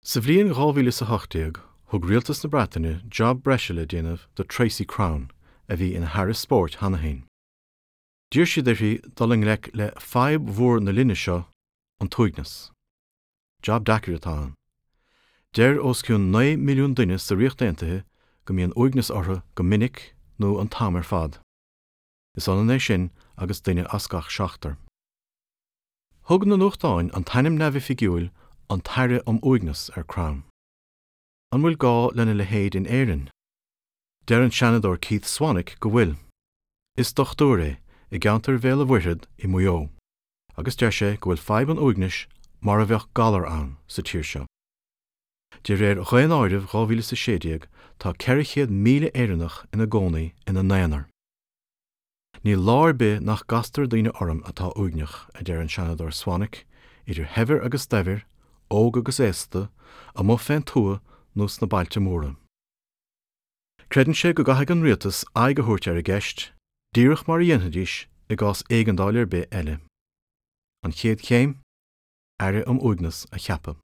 Sa bhliain 2018, thug rialtas na Breataine jab breise le déanamh do Tracy Crown, a bhí ina hAire Spóirt cheana féin. D'iarr siad uirthi dul i ngleic le fadhb mhór na linne seo, an t-uaigneas. Jab deacair atá ann. Deir os cionn 9 milliún duine sa Ríocht Aontaithe go mbíonn uaigneas orthu go minic nó an t-am ar fad. Is ionann é sin agus duine as gach seachtar. Thug na nuachtáin an t-ainm neamhoifigiúil 'An tAire um Uaigneas' ar Crown. An bhfuil gá lena leithéid in Éirinn? Deir an Seanadóir Keith Swanick go bhfuil. Is dochtúir é, i gceantar Bhéal a' Mhuirthead i Maigh Eo, agus deir sé go bhfuil fadhb an uaignis mar a bheadh galar ann sa tír seo. De réir Dhaonáireamh 2016 tá 400,000 Éireannach ina gcónaí ina n-aonar. Níl lá ar bith nach gcastar daoine orm atá uaigneach, a deir an Seanadóir Swanick, idir shaibhir agus daibhir, óg agus aosta, amuigh fén tuath nó sna bailte móra. Creideann sé go gcaithfidh an rialtas aghaidh a thabhairt ar an gceist, díreach mar a dhéanfaidís i gcás éigeandáil ar bith eile. An chéad chéim? Aire um Uaigneas a cheapadh.